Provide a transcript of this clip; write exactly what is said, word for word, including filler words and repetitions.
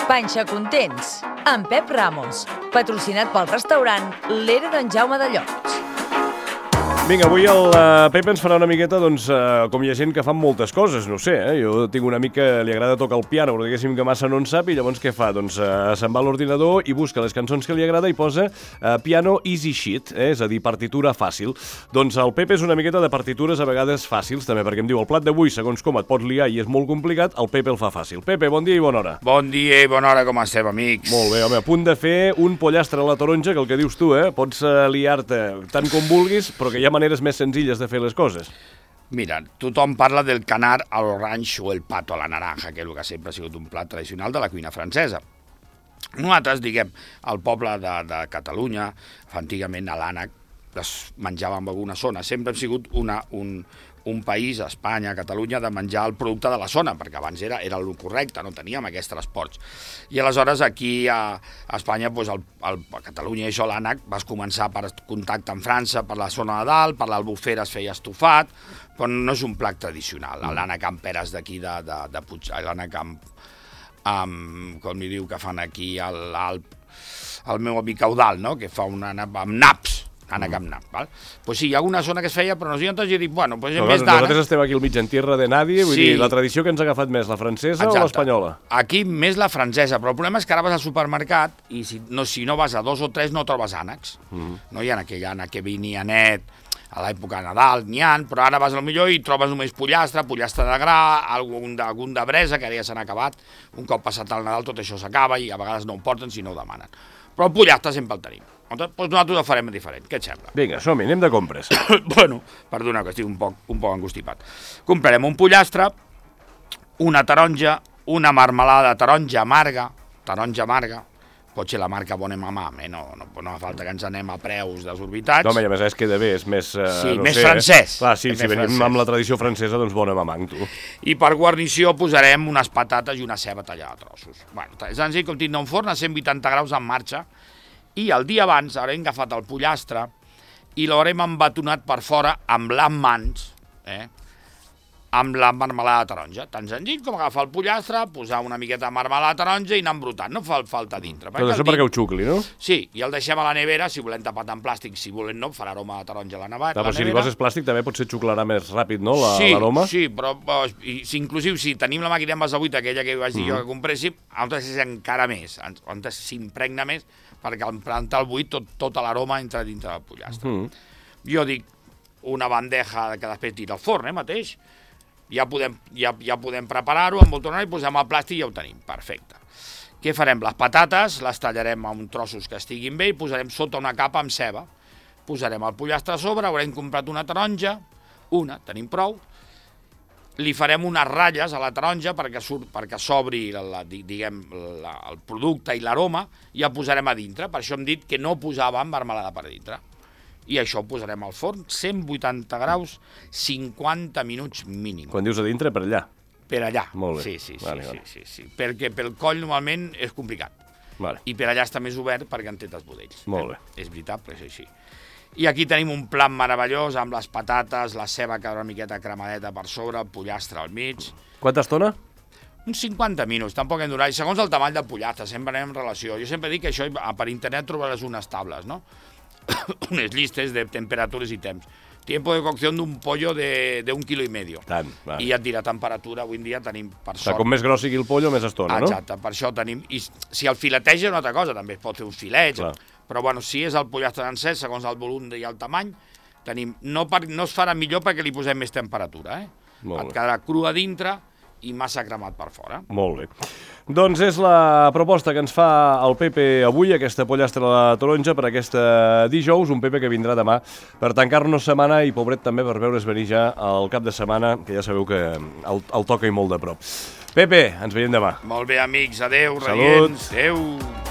Panxa Contents, amb Pep Ramos, patrocinat pel restaurant L'Era d'en Jaume de Llots. Vinga, avui el uh, Pep ens farà una miqueta, doncs, uh, com hi ha gent que fan moltes coses, no sé, eh? Jo tinc un amic que li agrada tocar el piano, però diguéssim que massa no en sap, i llavors què fa? Doncs uh, se'n va a l'ordinador i busca les cançons que li agrada i posa uh, piano easy sheet, eh? És a dir, partitura fàcil. Doncs el Pep és una miqueta de partitures a vegades fàcils, també, perquè em diu, el plat d'avui, segons com et pots liar i és molt complicat, el Pepe el fa fàcil. Pepe, bon dia i bona hora. Bon dia i bona hora, com estem, amics? Molt bé, home, a punt de fer un pollastre a la taronja, que el que dius tu, eh? Pots uh, liar-te tant com vulguis, però que hi ha maneres més senzilles de fer les coses. Mira, tothom parla del canar a l'orange o el pato a la naranja, que és el que sempre ha sigut un plat tradicional de la cuina francesa. Nosaltres, diguem, al poble de, de Catalunya, antigament a l'ànec, es menjava en alguna zona. Sempre hem sigut una, un, un país, Espanya, Catalunya, de menjar el producte de la zona, perquè abans era, era el correcte, no teníem aquests transports. I aleshores aquí a, a Espanya, doncs el, el, a Catalunya i això, l'ànec, vas començar per contacte amb França, per la zona de dalt, per l'Albufera es feia estofat, però no és un plat tradicional. L'ànec amb peres d'aquí de, de, de Puig, l'ànec amb, amb, com li diu, que fan aquí a l'Alp, el meu amic Eudal, no?, que fa un ànec amb naps, ànec amb nap, val? Pues sí, hi ha alguna zona que es feia, però nosaltres jo dic, bueno, pues en més d'ànec... Nosaltres estem aquí al mig en tierra de nadie, vull sí. dir, la tradició que ens ha agafat més, la francesa Exacte. O l'espanyola? Aquí més la francesa, però el problema és que ara vas al supermercat i si no, si no vas a dos o tres no trobes ànecs. Mm -hmm. No hi ha aquell ànec que venia net a l'època de Nadal, n'hi ha, però ara vas al millor i trobes només pollastre, pollastre de gra, algun de, algun de bresa, que ara ja s'han acabat. Un cop passat el Nadal tot això s'acaba i a vegades no ho porten si no ho demanen. Però el pollastre sempre el tenim. Doncs nosaltres ho farem diferent, què et sembla? Vinga, som-hi, anem de compres. Bueno, perdona, que estic un poc, un poc angustipat. Comprarem un pollastre, una taronja, una marmelada de taronja amarga, taronja amarga, pot ser la marca Bonnemama, eh? no, no, no fa falta que ens anem a preus desorbitats. No, home, i a més és queda bé, és més... Uh, sí, no més sé, francès. Eh? Clar, sí, si venim francès. amb la tradició francesa, doncs Bonnemama, tu. I per guarnició posarem unes patates i una ceba tallada a trossos. Bueno, és senzill com tindre un forn a cent vuitanta graus en marxa, i el dia abans haurem agafat el pollastre i l'haurem embatonat per fora amb les mans, eh? amb la marmelada de taronja. Tan senzill com agafar el pollastre, posar una miqueta de marmelada de taronja i anar embrutant, no fa falta dintre. Però això perquè ho xucli, no? Sí, i el deixem a la nevera, si volem tapat en plàstic, si volem no, farà aroma de taronja a la nevera. Clar, però si li poses plàstic també potser xuclarà més ràpid, no, l'aroma? Sí, sí, però i, si, inclusiu si tenim la màquina envasa buit, aquella que vaig dir mm. jo que compréssim, altres és encara més, on s'impregna més, perquè al plantar el buit tot, tota l'aroma entra dintre del pollastre. Mm. Jo dic una bandeja que després tira al forn, eh, mateix, ja podem, ja, ja podem preparar-ho, envoltonar-ho i posem el plàstic i ja ho tenim, perfecte. Què farem? Les patates les tallarem en trossos que estiguin bé i posarem sota una capa amb ceba. Posarem el pollastre a sobre, haurem comprat una taronja, una, tenim prou, li farem unes ratlles a la taronja perquè surt, perquè s'obri la, diguem, la, el producte i l'aroma i el posarem a dintre. Per això hem dit que no posàvem marmelada per dintre. I això ho posarem al forn, cent vuitanta graus, cinquanta minuts mínim. Quan dius a dintre, per allà? Per allà, Molt bé. sí, sí, sí, vale, sí, vale. sí, sí, perquè pel coll normalment és complicat. Vale. I per allà està més obert perquè en té els budells. Molt bé. Eh? És veritat, però és així. I aquí tenim un plat meravellós amb les patates, la ceba que una miqueta cremadeta per sobre, el pollastre al mig. Quanta estona? Uns cinquanta minuts, tampoc hem durat. I segons el tamany del pollastre, sempre anem en relació. Jo sempre dic que això per internet trobaràs unes tables, no? Unes llistes de temperatures i temps. Tiempo de cocció d'un pollo de, de un quilo i medio. Tant, vale. I ja et dirà temperatura, avui en dia tenim per sort. O sigui, com més gros sigui el pollo, més estona, no? Exacte, per això tenim... I si el fileteja és una altra cosa, també es pot fer un filet, Clar. Però bueno, si és el pollastre encès, segons el volum i el tamany, tenim... No, per, no es farà millor perquè li posem més temperatura, eh? Molt Et bé. quedarà cru a dintre i massa cremat per fora. Molt bé. Doncs és la proposta que ens fa el Pepe avui, aquesta pollastre a la taronja per aquesta dijous, un Pepe que vindrà demà per tancar-nos setmana i pobret també per veure's venir ja al cap de setmana, que ja sabeu que el, el toca i molt de prop. Pepe, ens veiem demà. Molt bé, amics, adeu, Salut. reients, adeu.